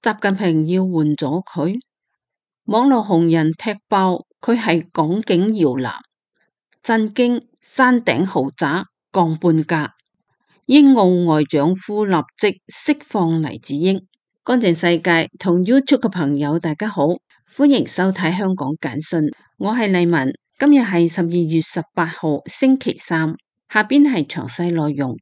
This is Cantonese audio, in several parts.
習近平要換咗佢，網絡紅人踢爆佢係港警搖籃，震驚山頂豪宅降半價。英澳外長府立即釋放黎智英。乾淨世界同 YouTube 嘅朋友大家好，歡迎收睇香港簡訊，我係麗文。今日係12月18號星期三，下邊係詳細內容。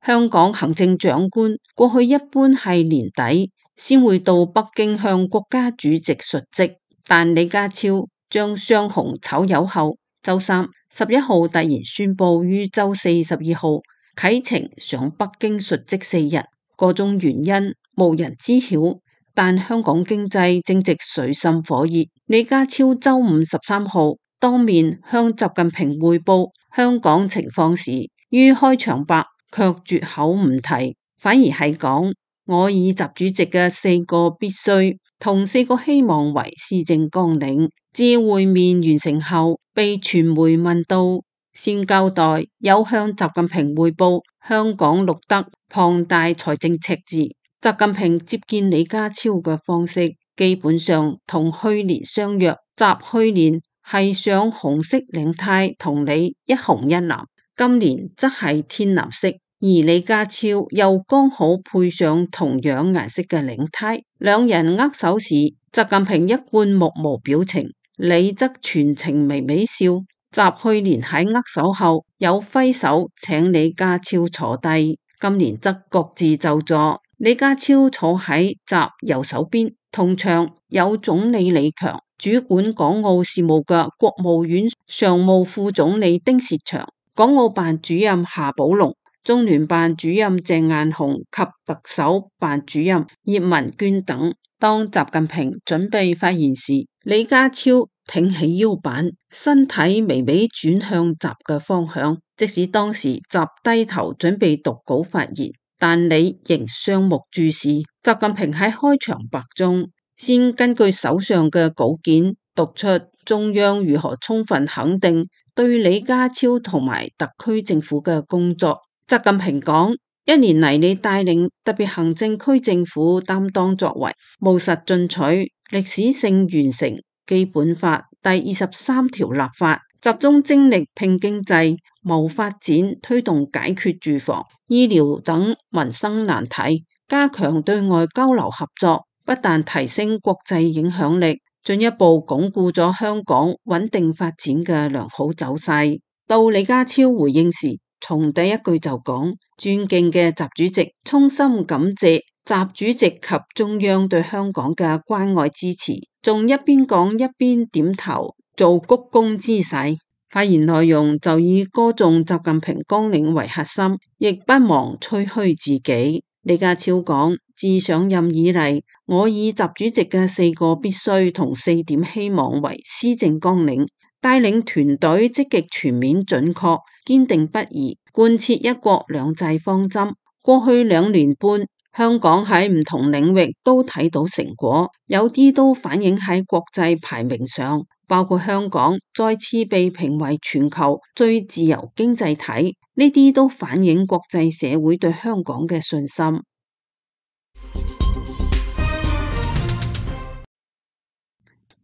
香港行政長官過去一般係年底先會到北京向國家主席述職，但李家超將雙紅炒魷後，周三11號突然宣布於周四12號啟程上北京述職4日，各種原因無人知曉，但香港經濟正值水深火熱。李家超周五13號當面向習近平匯報香港情況時，於開場白卻絕口唔提，反而係講我以習主席嘅4個必須同4個希望為施政綱領。至會面完成後，被傳媒問到，先交代有向習近平匯報香港錄得龐大財政赤字。習近平接見李家超嘅方式基本上同去年相若，習去年係上紅色領呔同你一紅一藍，今年則係天藍色，而李家超又剛好配上同樣顏色嘅領呔。兩人握手時，習近平一貫目無表情，你則全程微微笑。習去年喺握手後有揮手請李家超坐低，今年則各自就座。李家超坐喺習右手邊，同場有總理李強、主管港澳事務嘅國務院常務副總理丁薛祥、港澳辦主任夏寶龍、中聯辦主任鄭雁雄及特首辦主任葉文娟等。當習近平準備發言時，李家超挺起腰板，身體微微轉向習嘅方向。即使當時習低頭準備讀稿發言，但你仍雙目注視。習近平喺開場白中先根據手上嘅稿件讀出中央如何充分肯定對李家超同埋特區政府嘅工作。習近平講：1年嚟你帶領特別行政區政府擔當作為，務實進取，歷史性完成基本法第23條立法，集中精力拼經濟、謀發展，推動解決住房、醫療等民生難題，加強對外交流合作，不但提升國際影響力，進一步鞏固咗香港穩定發展嘅良好走勢。到李家超回應時，從第一句就講：尊敬嘅習主席，衷心感謝習主席及中央對香港嘅關愛支持，仲一邊講一邊點頭做鞠躬姿勢。發言內容就以歌頌習近平綱領為核心，亦不忘吹噓自己。李家超講：自上任以嚟，我以習主席嘅4個必須同4點希望為施政綱領，帶領團隊積極全面準確堅定不移貫徹一國兩制方針。過去2年半，香港喺唔同領域都睇到成果，有啲都反映喺國際排名上，包括香港再次被評為全球最自由經濟體，呢啲都反映國際社會對香港嘅信心。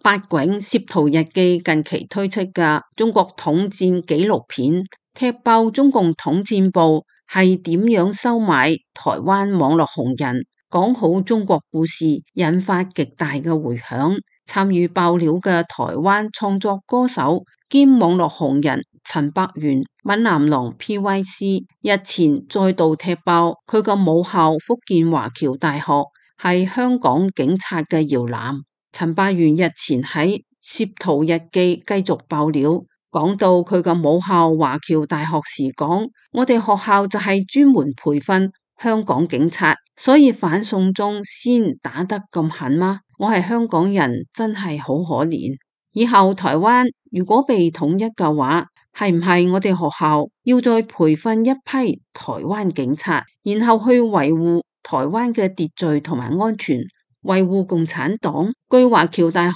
八囧攝圖日記近期推出嘅中國統戰紀錄片，踢爆中共統戰部係點樣收買台灣網絡紅人，講好中國故事，引發極大嘅迴響。參與爆料嘅台灣創作歌手兼網絡紅人陳百元閩南郎 PYC 日前再度踢爆佢個母校福建華僑大學係香港警察嘅搖籃。陳百元日前喺攝圖日記繼續爆料，講到佢個母校華僑大學時講：我哋學校就係專門培訓香港警察，所以反送中先打得咁狠嗎？我係香港人，真係好可憐。以後台灣如果被統一嘅話，係唔係我哋學校要再培訓一批台灣警察，然後去維護台灣嘅秩序同埋安全，維護共產黨。據華僑大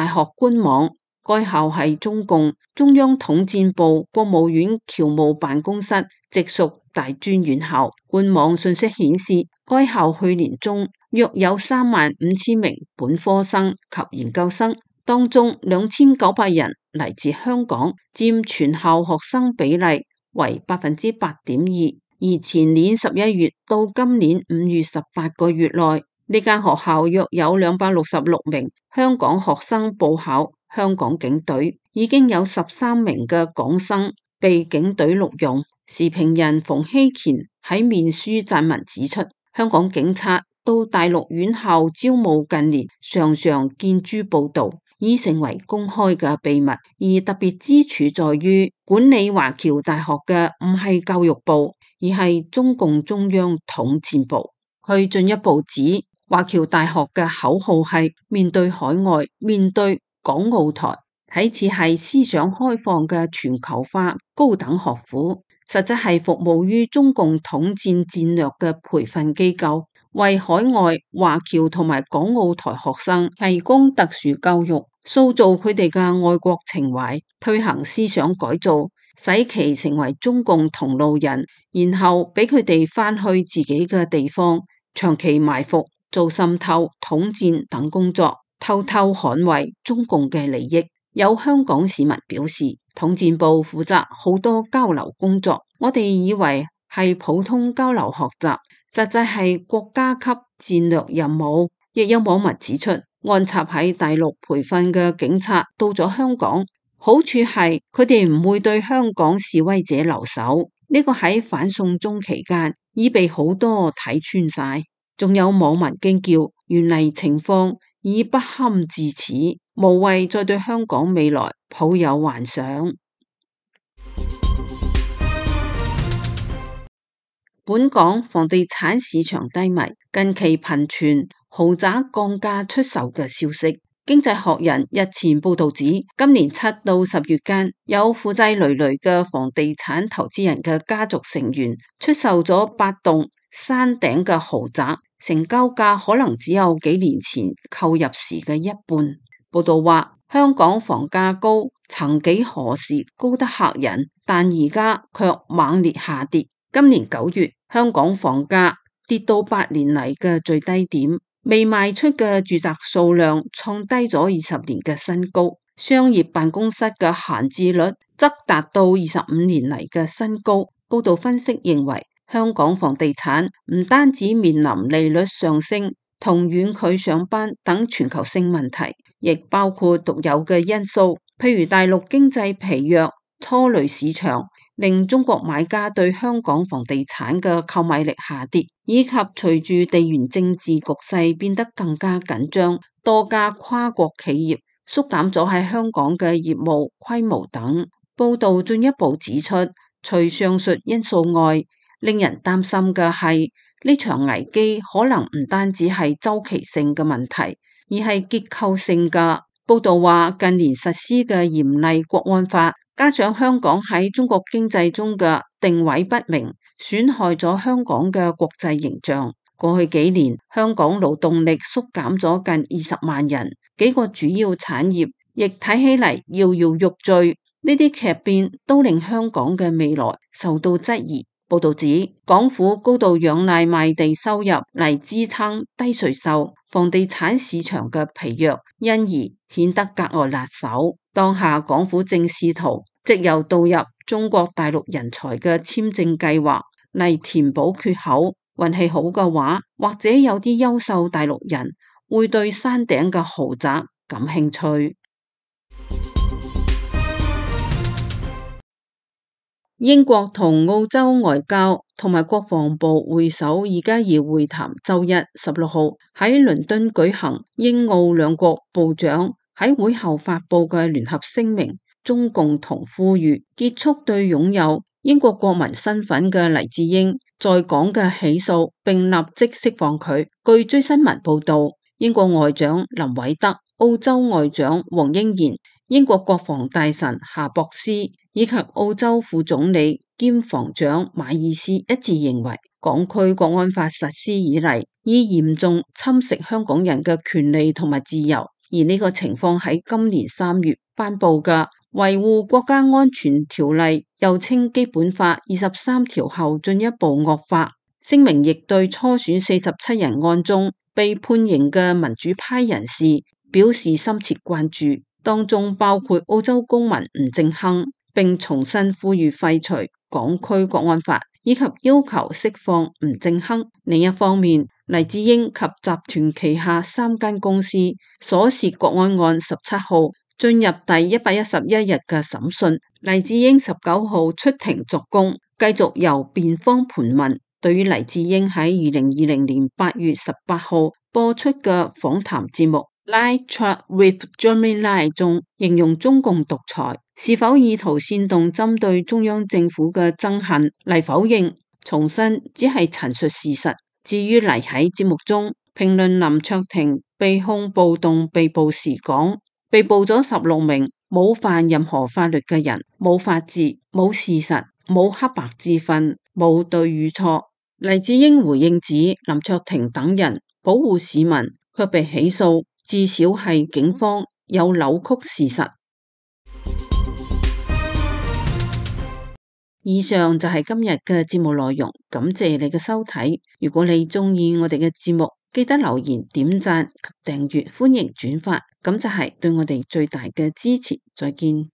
學官網，該校係中共中央統戰部國務院僑務辦公室直屬大專院校。官網信息顯示，該校去年中約有35,000名本科生及研究生，當中2,900人嚟自香港，佔全校學生比例為8.2%。而前年11月到今年5月18個月內，呢間學校約有266名香港學生報考香港警隊，已經有13名嘅港生被警隊錄用。時評人馮希乾喺面書撰文指出，香港警察到大陸院校招募近年常常見諸報道，已成為公開嘅秘密。而特別之處在於，管理華僑大學嘅唔係教育部，而係中共中央統戰部。佢進一步指，華僑大學嘅口號係面對海外，面對港澳台，睇似係思想開放嘅全球化高等學府，實質係服務於中共統戰戰略嘅培訓機構，為海外華僑同埋港澳台學生提供特殊教育，塑造佢哋嘅愛國情懷，推行思想改造，使其成為中共同路人，然後俾佢哋返去自己嘅地方，長期埋伏、做滲透、統戰等工作，偷偷捍衛中共嘅利益。有香港市民表示，統戰部負責好多交流工作，我哋以為係普通交流學習，實際係國家級戰略任務。亦有網民指出，安插喺大陸培訓嘅警察到咗香港，好處係佢哋唔會對香港示威者留手，呢個喺反送中期間已被好多睇穿晒。仲有網民驚叫，原嚟情況已不堪至此，無謂再對香港未來抱有幻想。本港房地產市場低迷，近期頻傳豪宅降價出售嘅消息。經濟學人日前報道指，今年7到10月間，有負債累累嘅房地產投資人嘅家族成員出售咗8棟山頂嘅豪宅，成交價可能只有幾年前購入時嘅一半。報道話，香港房價高，曾幾何時高得嚇人，但而家卻猛烈下跌。今年9月，香港房價跌到8年嚟嘅最低點，未賣出嘅住宅數量創低咗20年嘅新高，商業辦公室嘅閒置率則達到25年嚟嘅新高。報道分析認為，香港房地產唔單止面臨利率上升同遠距上班等全球性問題，亦包括獨有嘅因素，譬如大陸經濟疲弱拖累市場，令中國買家對香港房地產嘅購買力下跌，以及隨住地緣政治局勢變得更加緊張，多家跨國企業縮減咗喺香港嘅業務規模等。報道進一步指出，除上述因素外，令人擔心嘅係呢場危機可能唔單止係周期性嘅問題，而係結構性嘅。報道話，近年實施嘅嚴厲國安法，加上香港喺中國經濟中嘅定位不明，損害咗香港嘅國際形象。過去幾年，香港勞動力縮減咗近20萬人，幾個主要產業亦睇起嚟搖搖欲墜。呢啲劇變都令香港嘅未來受到質疑。報道指，港府高度仰賴賣地收入嚟支撐低稅收，房地產市場嘅疲弱，因而顯得格外辣手。當下港府正試圖藉由導入中國大陸人才嘅簽證計劃嚟填補缺口。運氣好嘅話，或者有啲優秀大陸人會對山頂嘅豪宅感興趣。英國同澳洲外交同埋國防部會首而家要會談，周一16號喺倫敦舉行。英澳兩國部長喺會後發佈嘅聯合聲明中共同呼籲結束對擁有英國國民身份嘅黎智英在港嘅起訴，並立即釋放佢。據追新聞報道，英國外長林偉德、澳洲外長黃英賢、英國國防大臣夏博斯以及澳洲副總理兼防長馬爾斯一致認為，港區國安法實施以嚟，已嚴重侵蝕香港人嘅權利同埋自由，而呢個情況喺今年3月頒布嘅維護國家安全條例，又稱基本法23條後進一步惡化。聲明亦對初選47人案中被判刑嘅民主派人士表示深切關注，當中包括澳洲公民吳政亨，並重新呼籲廢除港區國安法，以及要求釋放吳政亨。另一方面，黎智英及集團旗下3間公司所涉國安案17號進入第111日嘅審訊，黎智英19號出庭作供，繼續由辯方盤問。對於黎智英喺2020年8月18號播出嘅訪談節目《Live Chat with Jeremy Lai》中，形容中共獨裁，是否意圖煽動針對中央政府嘅憎恨，黎否認，重申只係陳述事實。至於黎喺節目中評論林卓廷被控暴動被捕時講，被捕咗16名冇犯任何法律嘅人，冇法治，冇事實，冇黑白之分，冇對與錯。黎智英回應指，林卓廷等人保護市民卻被起訴，至少係警方有扭曲事實。以上就係今日嘅節目內容，感謝你嘅收睇。如果你鍾意我哋嘅節目，記得留言、點讚及訂閱，歡迎轉發，咁就係對我哋最大嘅支持。再見。